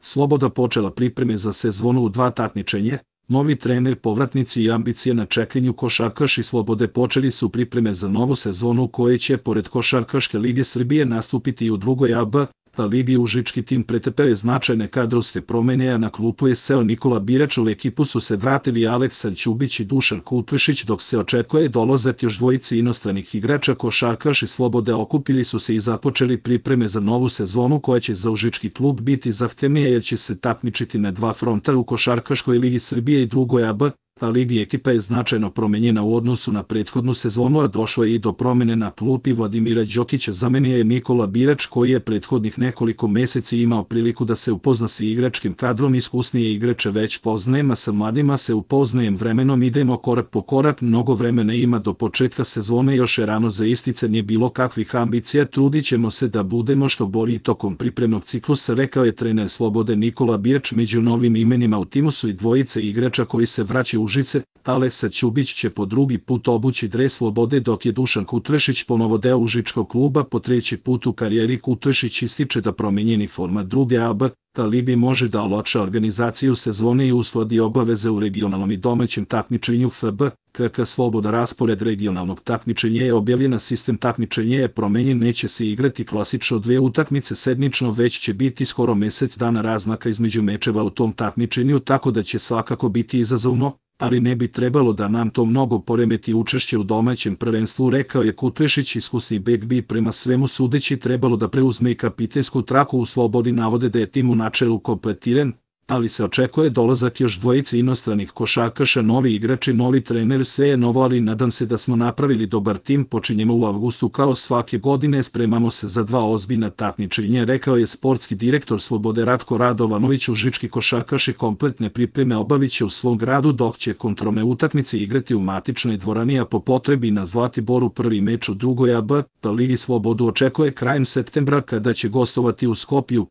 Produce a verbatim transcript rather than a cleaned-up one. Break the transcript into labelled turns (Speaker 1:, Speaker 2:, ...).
Speaker 1: Sloboda počela pripreme za sezonu u dva takmičenje, novi trener, povratnici i ambicije na čekanju. Košarkaši Slobode počeli su pripreme za novu sezonu u kojoj će pored Košarkaške lige Srbije nastupiti i u drugoj A B ligi. Užički tim pretrpeo je značajne kadrovske promene, a na klupu je seo Nikola Birač. U ekipu su se vratili Aleksa Ćubić i Dušan Kutlešić, dok se očekuje dolazak još dvojice inostranih igrača. Košarkaši Slobode okupili su se i započeli pripreme za novu sezonu koja će za užički klub biti zahtevnija jer će se takmičiti na dva fronta u Košarkaškoj ligi Srbije i drugoj A B ligi. Ekipa je značajno promenjena u odnosu na prethodnu sezonu, a došlo je i do promene na klupi. Vladimira Đokića zamenio je Nikola Birač, koji je prethodnih nekoliko meseci imao priliku da se upozna sa igračkim kadrom. Iskusnije igrače već poznajem, a sa mladima se upoznajem vremenom, idemo korak po korak. Mnogo vremena ima do početka sezone, još je rano za isticanje bilo kakvih ambicija, trudit ćemo se da budemo što bolji tokom pripremnog ciklusa, rekao je trener Slobode Nikola Birač. Među novim imenima u timu su i dvojice igrača koji se vraćaju u Užice. Aleksa Ćubić će po drugi put obući dres Slobode, dok je Dušan Kutlešić ponovo deo užičkog kluba po treći put u karijeri. Kutlešić ističe da promenjeni format druge A B ligi može da olakša organizaciju sezone i uskladi obaveze u regionalnom i domaćem takmičenju. F B K K Sloboda. Raspored regionalnog takmičenja je objavljen, sistem takmičenja je promenjen, neće se igrati klasično dve utakmice sedmično, već će biti skoro mesec dana razmaka između mečeva u tom takmičenju, tako da će svakako biti izazovno, ali ne bi trebalo da nam to mnogo poremeti učešće u domaćem prvenstvu, rekao je Kutlešić. Iskusni bek bi prema svemu sudeći trebalo da preuzme i kapitensku traku. U Slobodi navode da je tim u načelu kompletiran, ali se očekuje dolazak još dvojice inostranih košarkaša, novi igrači, novi trener, sve je novo, ali nadam se da smo napravili dobar tim. Počinjemo u avgustu kao svake godine, spremamo se za dva ozbiljna takmičenja, rekao je sportski direktor Slobode Ratko Radovanović. Užički košarkaši kompletne pripreme obavit će u svom gradu, dok će kontrolne utakmice igrati u matičnoj dvorani, a po potrebi na Zlatiboru. Prvi meč u drugoj A B ligi Slobodu očekuje krajem septembra, kada će gostovati u Skopju.